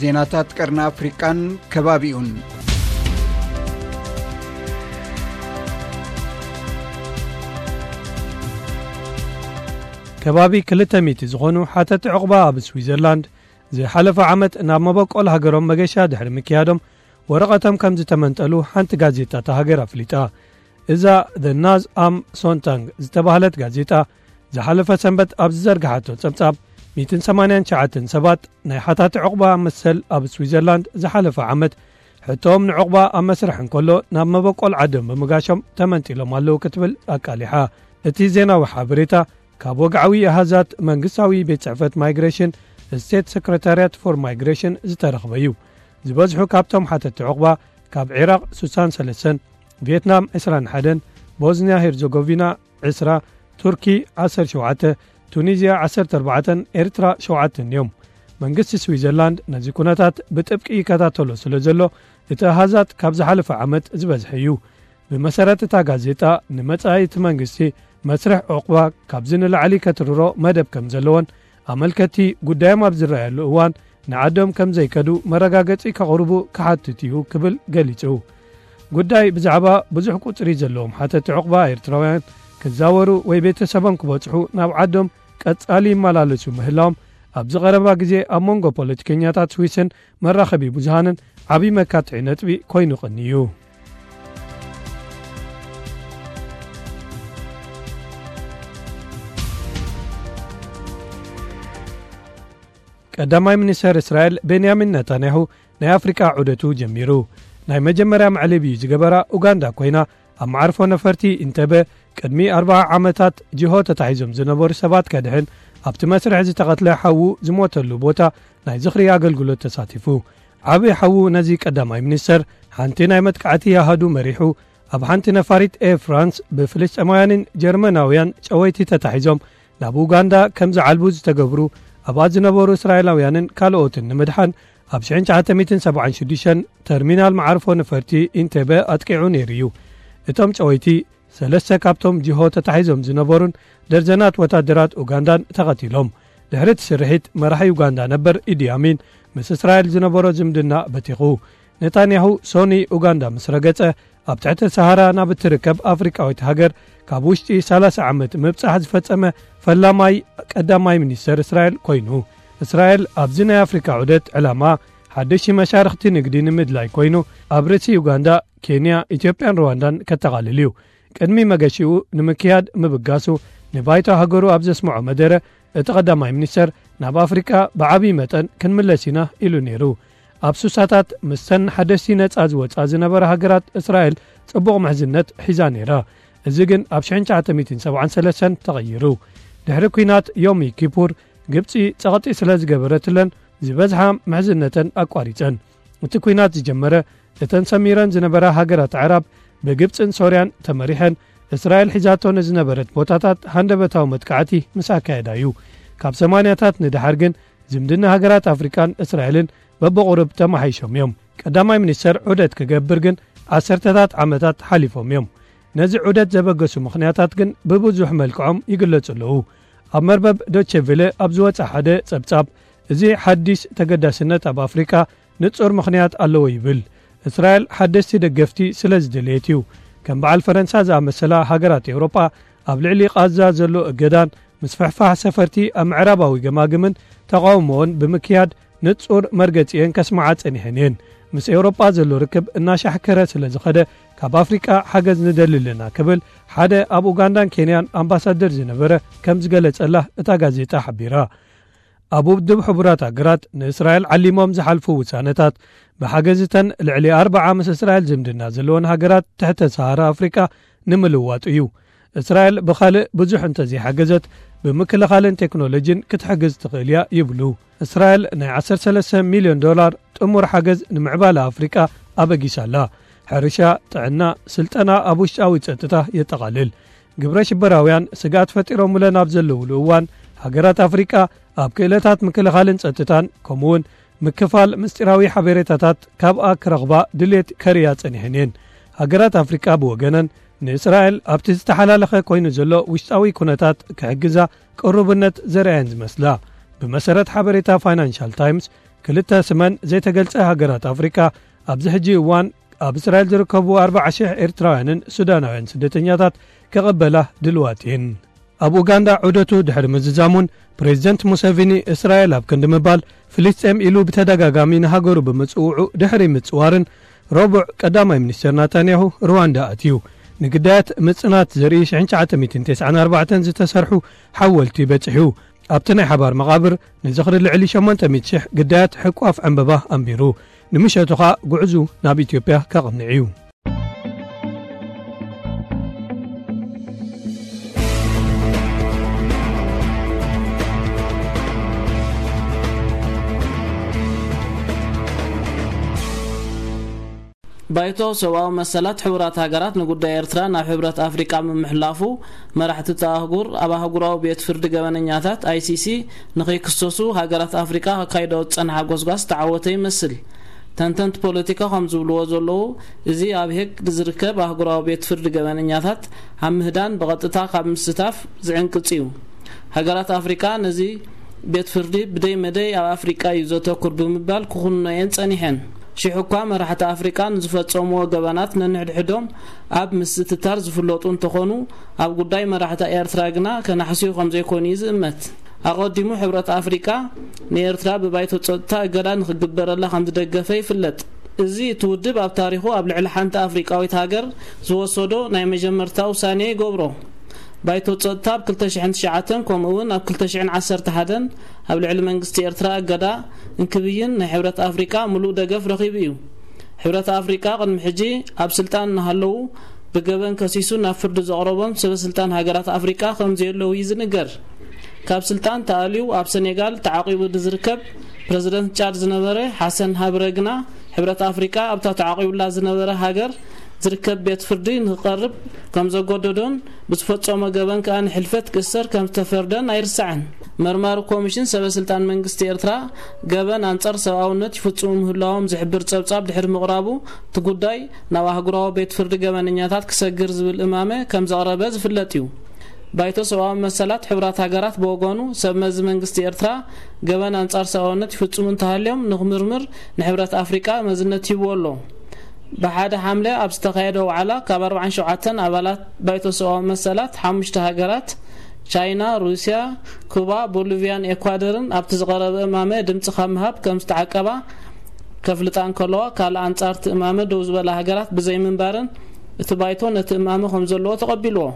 ዜናታት ቀርኒ ኣፍሪቃን ከባቢኡን። ከባቢ ክልተ ሚእቲ ዝኾኑ ሓተቲ ዕቑባ ኣብ ስዊዘርላንድ ዝሓለፈ ዓመት ናብ መበቆል ሃገሮም መገሻ ድሕሪ ምክያዶም ወረቐቶም ከም ዝተመንጠሉ ሓንቲ ጋዜጣ እታ ሃገር ኣፍሊጣ። እዛ The Naaz am Sonntag ዝተባህለት ጋዜጣ ዝሓለፈ ሰንበት ኣብ ዝዘርግሓቶ ጸብጻብ፣ ሚእትን ሰማንያን ትሽዓተን ሰባት ናይ ሓታቲ ዕቑባ መሰል ኣብ ስዊዘርላንድ ዝሓለፈ ዓመት ሕቶኦም ንዕቑባ ኣብ መስርሕ እንከሎ ናብ መበቆል ዓዶም ብምጋሾም ተመንጢሎም ኣለዉ ክትብል ኣቃሊሓ። እቲ ዜናዊ ሓበሬታ ካብ ወግዓዊ ኣሃዛት መንግስታዊ ቤት ጽሕፈት ማይግሬሽን፣ ስቴት ሰክረታርያት ፎር ማይግሬሽን፣ ዝተረኽበ እዩ። ዝበዝሑ ካብቶም ሓተቲ ዕቑባ ካብ ዒራቕ ስሳን ሰለስተን፣ ቪየትናም ዕስራን ሓደን፣ ቦዝንያ ሄርዞጎቪና ዕስራ፣ ቱርኪ ዓሰርተ ሸውዓተ፣ ቱኒዝያ ዓሰርተ ኣርባዕተን ኤርትራ ሸውዓተን እዮም። መንግስቲ ስዊዘርላንድ ነዚ ኩነታት ብጥብቂ ይከታተሎ ስለ ዘሎ፣ እቲ ኣሃዛት ካብ ዝሓለፈ ዓመት ዝበዝሐ እዩ። ብመሰረት እታ ጋዜጣ፣ ንመጻኢ እቲ መንግስቲ መስርሕ ዕቑባ ካብዚ ንላዕሊ ከትርሮ መደብ ከም ዘለዎን፣ ኣመልከቲ ጉዳዮም ኣብ ዝረኣየሉ እዋን ንዓዶም ከም ዘይከዱ መረጋገጺ ከቕርቡ ክሓትት እዩ ክብል ገሊጹ። ጉዳይ ብዛዕባ ብዙሕ ቁጽሪ ዘለዎም ሓተቲ ዕቑባ ኤርትራውያን ክዛወሩ ወይ ቤተሰቦም ክበጽሑ ናብ ዓዶም ቀጻሊ ይመላለሱ ምህላዎም ኣብዚ ቀረባ ግዜ ኣብ መንጎ ፖለቲከኛታት ስዊስን መራኸቢ ብዙሃንን ዓቢ መካትዒ ነጥቢ ኮይኑ ቀንዩ። ቀዳማይ ሚኒስተር እስራኤል ቤንያሚን ነታንያሁ ናይ ኣፍሪቃ ዑደቱ ጀሚሩ። ናይ መጀመርያ መዕለቢኡ ዝገበራ ኡጋንዳ ኮይና፣ ኣብ መዓርፎ ነፈርቲ ኢንተበ ቅድሚ ኣርብዓ ዓመታት ጅሆ ተታሒዞም ዝነበሩ ሰባት ከድሕን ኣብቲ መስርሕ ዝተቐትለ ሓዉ ዝሞተሉ ቦታ ናይ ዝኽሪ ኣገልግሎት ተሳቲፉ። ዓቢ ሓዉ ነዚ ቀዳማይ ሚኒስተር ሓንቲ ናይ መጥቃዕቲ ኣሃዱ መሪሑ፣ ኣብ ሓንቲ ነፋሪት ኤር ፍራንስ ብፍልስጤማውያንን ጀርመናውያን ጨወይቲ ተታሒዞም ናብ ኡጋንዳ ከም ዝዓልቡ ዝተገብሩ ኣብኣ ዝነበሩ እስራኤላውያንን ካልኦትን ንምድሓን ኣብ ሽሕን ትሽዓተ ሚእትን ሰብዓን ሽዱሽተን ተርሚናል መዓርፎ ነፈርቲ ኢንቴበ ኣጥቂዑ ነይሩ እዩ። እቶም ጨወይቲ ሰለስተ ካብቶም ጅሆ ተታሒዞም ዝነበሩን ደርዘናት ወታደራት ኡጋንዳን ተቐቲሎም። ድሕሪ እቲ ስርሒት መራሒ ኡጋንዳ ነበር ኢዲ ኣሚን ምስ እስራኤል ዝነበሮ ዝምድና በቲኹ። ነታንያሁ ሶኒ ኡጋንዳ ምስ ረገጸ፣ ኣብ ትሕተ ሰሃራ ናብ እትርከብ ኣፍሪቃዊት ሃገር ካብ ውሽጢ ሰላሳ ዓመት ምብጻሕ ዝፈጸመ ፈላማይ ቀዳማይ ሚኒስተር እስራኤል ኮይኑ። እስራኤል ኣብዚ ናይ ኣፍሪቃ ዑደት ዕላማ ሓደሽቲ መሻርኽቲ ንግዲ ንምድላይ ኮይኑ፣ ኣብ ርእሲ ኡጋንዳ፣ ኬንያ፣ ኢትዮጵያን ሩዋንዳን ከጠቓልል እዩ። ቅድሚ መገሺኡ ንምክያድ ምብጋሱ ንባይቶ ሃገሩ ኣብ ዘስምዖ መደረ፣ እቲ ቀዳማይ ሚኒስተር ናብ ኣፍሪቃ ብዓብዪ መጠን ክንምለስ ኢና ኢሉ ነይሩ። ኣብ ሱሳታት ምስተን ሓደስቲ ነጻ ዝወጻ ዝነበራ ሃገራት እስራኤል ጽቡቕ ምሕዝነት ሒዛ ነይራ። እዚ ግን ኣብ ሽሕን ትሽዓተ ሚእትን ሰብዓን ሰለስተን ተቐይሩ። ድሕሪ ኲናት ዮም ኪፑር ግብጺ ጸቕጢ ስለ ዝገበረትለን ዝበዝሓ ምሕዝነተን ኣቋሪጸን። እቲ ኲናት ዝጀመረ እተን ሰሚረን ዝነበራ ሃገራት ኣዕራብ ብግብጽን ሶርያን ተመሪሐን እስራኤል ሒዛቶ ንዝነበረት ቦታታት ሃንደበታዊ መጥቃዕቲ ምስ ኣካየዳ እዩ። ካብ ሰማንያታት ንደሓር ግን ዝምድና ሃገራት ኣፍሪቃን እስራኤልን በብቑሩብ ተመሓይሾም እዮም። ቀዳማይ ሚኒስተር ዑደት ክገብር ግን ዓሰርተታት ዓመታት ሓሊፎም እዮም። ነዚ ዑደት ዘበገሱ ምኽንያታት ግን ብብዙሕ መልክዖም ይግለጹ ኣለዉ። ኣብ መርበብ ዶቼ ቬለ ኣብ ዝወጸ ሓደ ጸብጻብ፣ እዚ ሓዲስ ተገዳስነት ኣብ ኣፍሪቃ ንጹር ምኽንያት ኣለዎ ይብል። እስራኤል ሓደስቲ ደገፍቲ ስለ ዝደለየት እዩ። ከም በዓል ፈረንሳ ዝኣመሰላ ሃገራት ኤውሮጳ ኣብ ልዕሊ ቃዛ ዘሎ እገዳን ምስፍሕፋሕ ሰፈርቲ ኣብ ምዕራባዊ ገማግምን ተቓውሞኦን ብምክያድ ንጹር መርገጺኤን ከስምዓ ጸኒሐን እየን። ምስ ኤውሮጳ ዘሎ ርክብ እናሻሕከረ ስለ ዝኸደ፣ ካብ ኣፍሪቃ ሓገዝ ንደሊ ኣለና ክብል ሓደ ኣብ ኡጋንዳን ኬንያን ኣምባሳደር ዝነበረ ከም ዝገለጸላ እታ ጋዜጣ ሓቢራ። ኣብ ውድብ ሕቡራት ሃገራት ንእስራኤል ዓሊሞም ዝሓልፉ ውሳነታት ብሓገዝተን ልዕሊ ኣርብዓ ምስ እስራኤል ዝምድና ዘለወን ሃገራት ትሕተ ሰሃራ ኣፍሪቃ ንምልዋጡ እዩ። እስራኤል ብኻልእ ብዙሕ እንተዘይሓገዘት ብምክልኻልን ቴክኖሎጂን ክትሕግዝ ትኽእል እያ ይብሉ። እስራኤል ናይ ዓሰርተ ሰለስተ ሚልዮን ዶላር ጥሙር ሓገዝ ንምዕባለ ኣፍሪቃ ኣበጊሳ ኣላ። ሕርሻ፣ ጥዕና፣ ስልጠና ኣብ ውሽጣዊ ጸጥታ የጠቓልል። ግብረ ሽበራውያን ስግኣት ፈጢሮምለን ኣብ ዘለውሉ እዋን፣ ሃገራት ኣፍሪቃ ኣብ ክእለታት ምክልኻልን ጸጥታን፣ ከምኡውን ምክፋል ምስጢራዊ ሓበሬታታት ካብኣ ክረኽባ ድሌት ከርእያ ጸኒሐን እየን። ሃገራት ኣፍሪቃ ብወገነን፣ ንእስራኤል ኣብቲ ዝተሓላለኸ ኮይኑ ዘሎ ውሽጣዊ ኩነታት ክሕግዛ ቅሩብነት ዘርኣየን ዝመስላ። ብመሰረት ሓበሬታ ፋይናንሻል ታይምስ፣ ክልተ ስመን ዘይተገልጸ ሃገራት ኣፍሪቃ ኣብዚ ሕጂ እዋን ኣብ እስራኤል ዝርከቡ ኣርባዓ ሽሕ ኤርትራውያንን ሱዳናውያን ስደተኛታት ከቐበላ ድልዋት እየን። ኣብ ኡጋንዳ ዑደቱ ድሕሪ ምዝዛሙን፣ ፕሬዚደንት ሙሴቪኒ እስራኤል ኣብ ክንዲ ምባል ፍልስጤም ኢሉ ብተደጋጋሚ ንሃገሩ ብምጽውዑ ድሕሪ ምጽዋርን፣ ረቡዕ ቀዳማይ ሚኒስተር ናታንያሁ ሩዋንዳ ኣትዩ። ንግዳያት ምጽናት ዘርኢ ሽሕን ትሽዓተ ሚእትን ተስዓን ኣርባዕተን ዝተሰርሑ ሓወልቲ በጺሑ። ኣብቲ ናይ ሓባር መቓብር ንዝኽሪ ልዕሊ ሸሞንተ ሚእቲ ሽሕ ግዳያት ሕቋፍ ዕምበባ ኣንቢሩ። ንምሸቱ ኸኣ ጉዕዙ ናብ ኢትዮጵያ ከቕንዕ እዩ። ባይቶ ሰብኣዊ መሰላት ሕቡራት ሃገራት ንጉዳይ ኤርትራ ናብ ሕብረት ኣፍሪቃ ምምሕላፉ፣ መራሕቲ እቲ ኣህጉር ኣብ ኣህጉራዊ ቤት ፍርዲ ገበነኛታት፣ ኣይሲሲ፣ ንኸይክሰሱ ሃገራት ኣፍሪቃ ከካይደኦ ዝጸንሓ ጎስጓስ ዝተዓወተ ይመስል። ተንተንቲ ፖለቲካ ከም ዝብልዎ ዘለዉ፣ እዚ ኣብ ሄግ ዝርከብ ኣህጉራዊ ቤት ፍርዲ ገበነኛታት ኣብ ምህዳን ብቐጥታ ካብ ምስታፍ ዝዕንቅጽ እዩ። ሃገራት ኣፍሪቃ ነዚ ቤት ፍርዲ ብደይ መደይ ኣብ ኣፍሪቃ እዩ ዘተኩር ብምባል ክኹንኖ እየን ጸኒሐን። ሽሕ እኳ መራሕቲ ኣፍሪቃ ንዝፈጸምዎ ገበናት ነንሕድሕዶም ኣብ ምስትታር ዝፍለጡ እንተኾኑ፣ ኣብ ጉዳይ መራሕቲ ኤርትራ ግና ከናሕስዩ ከም ዘይኮኑ እዩ ዝእመት። ኣቐዲሙ ሕብረት ኣፍሪቃ ንኤርትራ ብባይቶ ጸጥታ እገዳ ንኽግበረላ ከም ዝደገፈ ይፍለጥ። እዚ እቲ ውድብ ኣብ ታሪኹ ኣብ ልዕሊ ሓንቲ ኣፍሪቃዊት ሃገር ዝወሰዶ ናይ መጀመርታ ውሳኔ ይገብሮ። ባይቶ ጸጥታ ኣብ ክልተ ሽሕን ትሽዓተን ከምኡ እውን ኣብ ክልተ ሽሕን ዓሰርተ ሓደን ኣብ ልዕሊ መንግስቲ ኤርትራ እገዳ እንክብይን ናይ ሕብረት ኣፍሪቃ ምሉእ ደገፍ ረኺቡ እዩ። ሕብረት ኣፍሪቃ ቅድሚ ሕጂ ኣብ ስልጣን እናሃለዉ ብገበን ከሲሱ ናብ ፍርዲ ዘቕረቦም ሰበ ስልጣን ሃገራት ኣፍሪቃ ከም ዘየለዉ እዩ ዝንገር። ካብ ስልጣን ተኣልዩ ኣብ ሰኔጋል ተዓቂቡ ንዝርከብ ፕረዚደንት ጫድ ዝነበረ ሓሰን ሃብረ ግና፣ ሕብረት ኣፍሪቃ ኣብታ ተዓቂቡላ ዝነበረ ሃገር ዝርከብ ቤት ፍርዲ ንክቐርብ ከም ዘገደዶን ብዝፈጸሞ ገበን ከኣ ንሕልፈት ክእሰር ከም ዝተፈርደን ኣይርሳዕን። መርማሪ ኮሚሽን ሰበ ስልጣን መንግስቲ ኤርትራ ገበን ኣንጻር ሰብኣውነት ይፍጽሙ ምህላዎም ዝሕብር ጸብጻብ ድሕሪ ምቕራቡ፣ እቲ ጉዳይ ናብ ኣህጉራዊ ቤት ፍርዲ ገበነኛታት ክሰግር ዝብል እማመ ከም ዘቕረበ ዝፍለጥ እዩ። ባይቶ ሰብኣዊ መሰላት ሕቡራት ሃገራት ብወገኑ፣ ሰብ መዚ መንግስቲ ኤርትራ ገበን ኣንጻር ሰብኣውነት ይፍጽሙ እንተሃልዮም ንክምርምር ንሕብረት ኣፍሪቃ መዝነት ሂብዎ ኣሎ። ብሓደ ሓምለ ኣብ ዝተኻየደ ዋዕላ፣ ካብ ኣርባዓን ሸውዓተን ኣባላት ባይቶ ሰብኣዊ መሰላት፣ ሓሙሽተ ሃገራት፣ ቻይና፣ ሩስያ፣ ኩባ፣ ቦሊቪያን ኤኳደርን፣ ኣብቲ ዝቐረበ እማመ ድምጺ ካብ ምሃብ ከም ዝተዓቀባ ከፍልጣ እንከለዋ፣ ካልእ ኣንጻር እቲ እማመ ደው ዝበላ ሃገራት ብዘይምንባረን፣ እቲ ባይቶ ነቲ እማመ ከም ዘለዎ ተቐቢልዎ።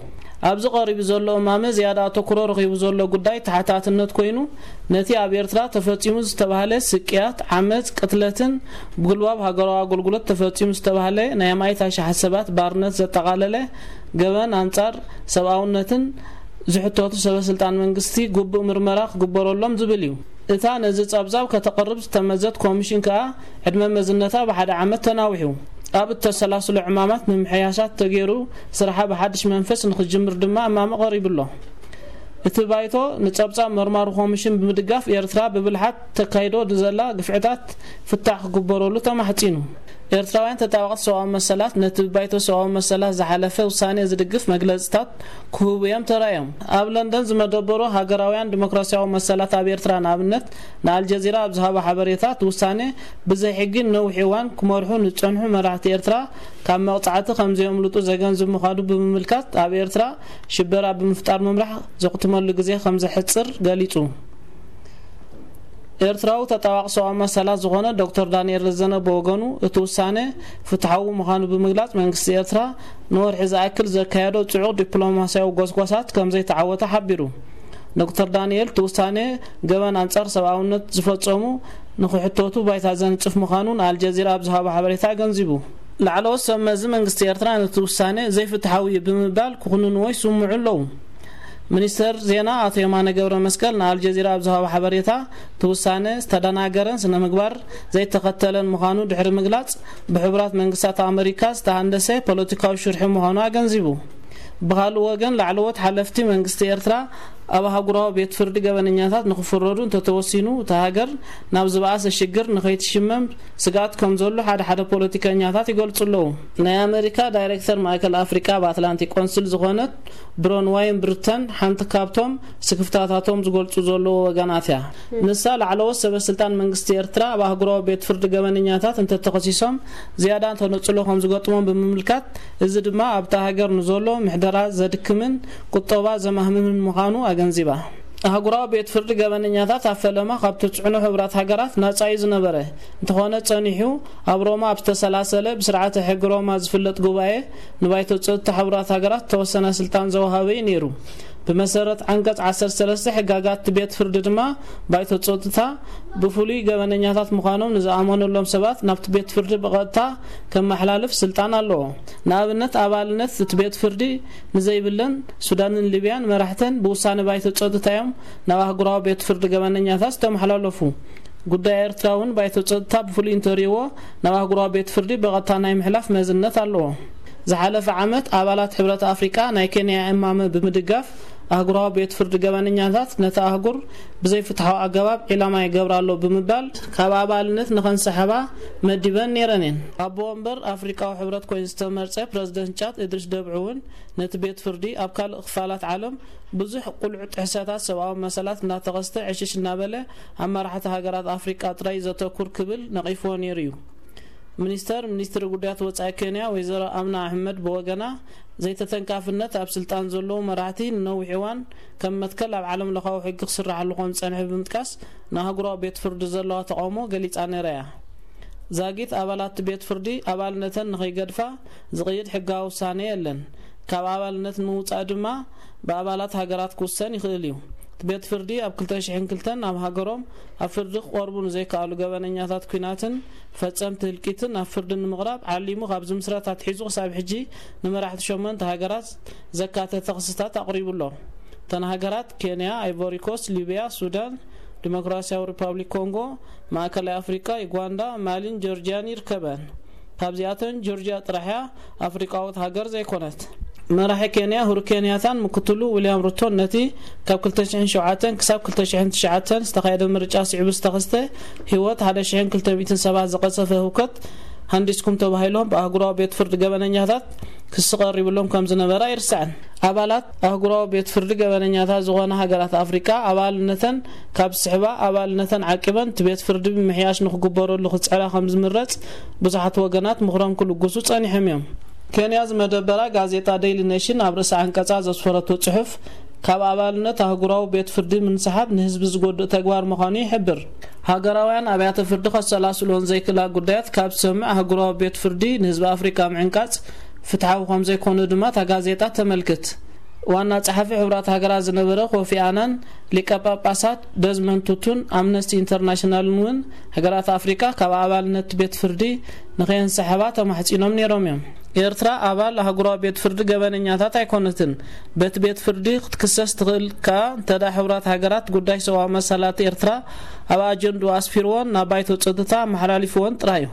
ኣብዚ ቀሪቡ ዘሎ እማመ ዝያዳ ኣተኩሮ ረኺቡ ዘሎ ጉዳይ ተሓታትነት ኮይኑ፣ ነቲ ኣብ ኤርትራ ተፈጺሙ ዝተባህለ ስቅያት፣ ዓመጽ፣ ቅትለትን ብጉልባብ ሃገራዊ ኣገልግሎት ተፈጺሙ ዝተባህለ ናይ ኣማኢት ኣሽሓት ሰባት ባርነት ዘጠቓለለ ገበን ኣንጻር ሰብኣውነትን ዝሕተቱ ሰበ ስልጣን መንግስቲ ግቡእ ምርመራ ክግበረሎም ዝብል እዩ። እታ ነዚ ጸብጻብ ከተቕርብ ዝተመዘት ኮሚሽን ከኣ ዕድመ መዝነታ ብሓደ ዓመት ተናዊሑ። ኣብ እተሰላስሎ ዕማማት ምምሕያሻት ተገይሩ ስርሓ ብሓድሽ መንፈስ ንኽጅምር ድማ እማመ ቀሪቡ ኣሎ። እቲ ባይቶ ንጸብጻብ መርማሪ ኮሚሽን ብምድጋፍ፣ ኤርትራ ብብልሓት ተካይዶ ንዘላ ግፍዕታት ፍታሕ ክግበረሉ ተማሕጺኑ። ኤርትራውያን ተጣበቕቲ ሰብኣዊ መሰላት ነቲ ብባይቶ ሰብኣዊ መሰላት ዝሓለፈ ውሳኔ ዝድግፍ መግለጽታት ክህቡ እዮም ተራእዮም። ኣብ ለንደን ዝመደበሩ ሃገራውያን ዲሞክራሲያዊ መሰላት ኣብ ኤርትራ ንኣብነት ንኣልጀዚራ ኣብ ዝሃቦ ሓበሬታ፣ እቲ ውሳኔ ብዘይ ሕጊ ንነዊሕ እዋን ክመርሑ ንዝጸንሑ መራሕቲ ኤርትራ ካብ መቕጻዕቲ ከም ዘየምልጡ ዘገንዝብ ምዃኑ ብምምልካት፣ ኣብ ኤርትራ ሽበራ ብምፍጣር ምምራሕ ዘኽትመሉ ግዜ ከም ዘሕጽር ገሊጹ። ኤርትራዊ ተጣባቂ ሰብኣዊ መሰላት ዝኾነ ዶክተር ዳንኤል ረዘነ ብወገኑ፣ እቲ ውሳነ ፍትሓዊ ምዃኑ ብምግላጽ፣ መንግስቲ ኤርትራ ንወርሒ ዝኣክል ዘካየዶ ጽዑቕ ዲፕሎማስያዊ ጎስጓሳት ከም ዘይተዓወተ ሓቢሩ። ዶክተር ዳንኤል፣ እቲ ውሳነ ገበን ኣንጻር ሰብኣውነት ዝፈጸሙ ንኽሕተቱ ባይታ ዘንጽፍ ምዃኑ ንኣልጀዚራ ኣብ ዝሃቦ ሓበሬታ ኣገንዚቡ። ላዕለዎት ሰብ መዚ መንግስቲ ኤርትራ ነቲ ውሳነ ዘይፍትሓዊ እዩ ብምባል ክኹንንዎ ይስምዑ ኣለዉ። ሚኒስተር ዜና ኣቶ የማነ ገብረ መስቀል ንኣልጀዚራ ኣብ ዝሃቦ ሓበሬታ፣ እቲ ውሳነ ዝተደናገረን ስነ ምግባር ዘይተኸተለን ምዃኑ ድሕሪ ምግላጽ፣ ብሕቡራት መንግስታት ኣመሪካ ዝተሃንደሰ ፖለቲካዊ ሽርሒ ምዃኑ ኣገንዚቡ። ብኻልእ ወገን፣ ላዕለዎት ሓለፍቲ መንግስቲ ኤርትራ ኣብ ኣህጉራዊ ቤት ፍርዲ ገበነኛታት ንኽፍረዱ እንተተወሲኑ፣ እታ ሃገር ናብ ዝበኣሰ ሽግር ንኸይትሽመም ስግኣት ከም ዘሎ ሓደ ሓደ ፖለቲከኛታት ይገልጹ ኣለዉ። ናይ ኣመሪካ ዳይሬክተር ማእከል ኣፍሪቃ ኣብ ኣትላንቲክ ቆንስል ዝኾነት ብሮንዋይን ብርተን ሓንቲ ካብቶም ስክፍታታቶም ዝገልጹ ዘለዉ ወገናት እያ። ንሳ፣ ላዕለዎት ሰበ ስልጣን መንግስቲ ኤርትራ ኣብ ኣህጉራዊ ቤት ፍርዲ ገበነኛታት እንተተኸሲሶም ዝያዳ ተነጽሎ ከም ዝገጥሞም ብምምልካት፣ እዚ ድማ ኣብታ ሃገር ንዘሎ ምሕደራ ዘድክምን ቁጠባ ዘማህምምን ምዃኑ ኣገንዚባ። ኣህጉራዊ ቤት ፍርዲ ገበነኛታት ኣብ ፈለማ ካብ ትጽዕኖ ሕቡራት ሃገራት ናጻ እዩ ዝነበረ። እንተኾነ ጸኒሑ፣ ኣብ ሮማ ኣብ ዝተሰላሰለ ብስርዓተ ሕጊ ሮማ ዝፍለጥ ጉባኤ ንባይቶ ጸጥታ ሕቡራት ሃገራት ዝተወሰነ ስልጣን ዘወሃበ እዩ ነይሩ። ብመሰረት ዓንቀጽ ዓሰርተ ሰለስተ ሕጋጋት እቲ ቤት ፍርዲ ድማ፣ ባይቶ ጸጥታ ብፍሉይ ገበነኛታት ምዃኖም ንዝኣመነሎም ሰባት ናብቲ ቤት ፍርዲ ብቐጥታ ከመሓላልፍ ስልጣን ኣለዎ። ንኣብነት፣ ኣባልነት እቲ ቤት ፍርዲ ንዘይብለን ሱዳንን ሊብያን መራሕተን ብውሳነ ባይቶ ጸጥታ እዮም ናብ ኣህጉራዊ ቤት ፍርዲ ገበነኛታት ዝተመሓላለፉ። ጉዳይ ኤርትራ እውን ባይቶ ጸጥታ ብፍሉይ እንተርእይዎ፣ ናብ ኣህጉራዊ ቤት ፍርዲ ብቐጥታ ናይ ምሕላፍ መዝነት ኣለዎ። ዝሓለፈ ዓመት፣ ኣባላት ሕብረት ኣፍሪቃ ናይ ኬንያ እማመ ብምድጋፍ፣ ኣህጉራዊ ቤት ፍርዲ ገበነኛታት ነቲ ኣህጉር ብዘይፍትሓዊ ኣገባብ ዒላማ ይገብር ኣሎ ብምባል ካብ ኣባልነት ንኸንሰሕባ መዲበን ነይረን እየን። ኣቦ ወንበር ኣፍሪቃዊ ሕብረት ኮይኑ ዝተመርጸ ፕረዚደንት ጫድ እድሪስ ደብዒ እውን፣ ነቲ ቤት ፍርዲ ኣብ ካልእ ክፋላት ዓለም ብዙሕ ቁልዑ ጥሕሰታት ሰብኣዊ መሰላት እናተኸስተ ዕሽሽ እናበለ ኣብ መራሕቲ ሃገራት ኣፍሪቃ ጥራይ ዘተኩር ክብል ነቒፍዎ ነይሩ እዩ። ሚኒስተር ሚኒስትሪ ጉዳያት ወጻኢ ኬንያ ወይዘሮ ኣምና ኣሕመድ ብወገና፣ ዘይተተንካፍነት ኣብ ስልጣን ዘለዉ መራሕቲ ንነዊሕ እዋን ከም መትከል ኣብ ዓለም ለኻዊ ሕጊ ክስራሓሉ ከም ዝጸንሐ ብምጥቃስ፣ ንኣህጉራዊ ቤት ፍርዲ ዘለዋ ተቓውሞ ገሊጻ ነይራ እያ። ዛጊት ኣባላት እቲ ቤት ፍርዲ ኣባልነተን ንኸይገድፋ ዝቕይድ ሕጋዊ ውሳነ የለን። ካብ ኣባልነት ንምውጻእ ድማ ብኣባላት ሃገራት ክውሰን ይኽእል እዩ። እቲ ቤት ፍርዲ ኣብ ክልተ ሽሕን ክልተን ኣብ ሃገሮም ኣብ ፍርዲ ክቐርቡ ንዘይከኣሉ ገበነኛታት ኲናትን ፈጸምቲ ህልቂትን ናብ ፍርዲ ንምቕራብ ዓሊሙ ካብ ዝምስረት ኣትሒዙ ክሳብ ሕጂ ንመራሕቲ ሸሞንተ ሃገራት ዘካተተ ክስታት ኣቕሪቡ ኣሎ። እተን ሃገራት ኬንያ፣ ኣይቮሪኮስት፣ ሊብያ፣ ሱዳን፣ ዲሞክራሲያዊ ሪፓብሊክ ኮንጎ፣ ማእከላይ ኣፍሪቃ፣ ዩጋንዳ፣ ማሊን ጆርጅያን ይርከበን። ካብዚኣተን ጆርጅያ ጥራሕ እያ ኣፍሪቃዊት ሃገር ዘይኮነት። መራሒ ኬንያ ሁሩ ኬንያታን ምክትሉ ዊልያም ሩቶን ነቲ ካብ ክልተ ሽሕን ሸውዓተን ክሳብ ክልተ ሽሕን ትሽዓተን ዝተኻየደ ምርጫ ስዒቡ ዝተኸስተ ህይወት ሓደ ሽሕን ክልተ ሚእትን ሰባት ዝቐጸፈ ህውከት ሃንዲስኩም ተባሂሎም ብኣህጉራዊ ቤት ፍርዲ ገበነኛታት ክሲ ቀሪብሎም ከም ዝነበረ ኣይርሳዕን። ኣባላት ኣህጉራዊ ቤት ፍርዲ ገበነኛታት ዝኾና ሃገራት ኣፍሪቃ ኣባልነተን ካብ ዝስሕባ፣ ኣባልነተን ዓቂበን እቲ ቤት ፍርዲ ብምሕያሽ ንክግበረሉ ክጽዕራ ከም ዝምረጽ ብዙሓት ወገናት ምኽሮም ክልግሱ ጸኒሖም እዮም። ኬንያ ዝመደበራ ጋዜጣ ዴይሊ ኔሽን ኣብ ርእሲ ዓንቀጻ ዘስፈረቶ ጽሑፍ፣ ካብ ኣባልነት ኣህጉራዊ ቤት ፍርዲ ምንስሓብ ንህዝቢ ዝጎድእ ተግባር ምዃኑ ይሕብር። ሃገራውያን ኣብያተ ፍርዲ ከሰላስልዎን ዘይክእላ ጉዳያት ካብ ዝሰምዕ ኣህጉራዊ ቤት ፍርዲ ንህዝቢ ኣፍሪቃ ምዕንቃጽ ፍትሓዊ ከም ዘይኮነ ድማ እታ ጋዜጣ ተመልክት። ዋና ጸሓፊ ሕቡራት ሃገራት ዝነበረ ኮፊ ኣናን፣ ሊቀ ጳጳሳት ደዝመንድ ቱቱን ኣምነስቲ ኢንተርናሽናልን እውን ሃገራት ኣፍሪቃ ካብ ኣባልነት ቤት ፍርዲ ንኸየንሰሕባ ተማሕጺኖም ነይሮም እዮም። ኤርትራ ኣባል ኣህጉራዊ ቤት ፍርዲ ገበነኛታት ኣይኮነትን። በቲ ቤት ፍርዲ ክትክሰስ ትኽእል ከኣ እንተ ደኣ ሕቡራት ሃገራት ጉዳይ ሰብኣዊ መሰላት ኤርትራ ኣብ ኣጀንድኡ ኣስፊርዎን ናብ ባይቶ ጸጥታ ኣመሓላሊፍዎን ጥራይ እዩ።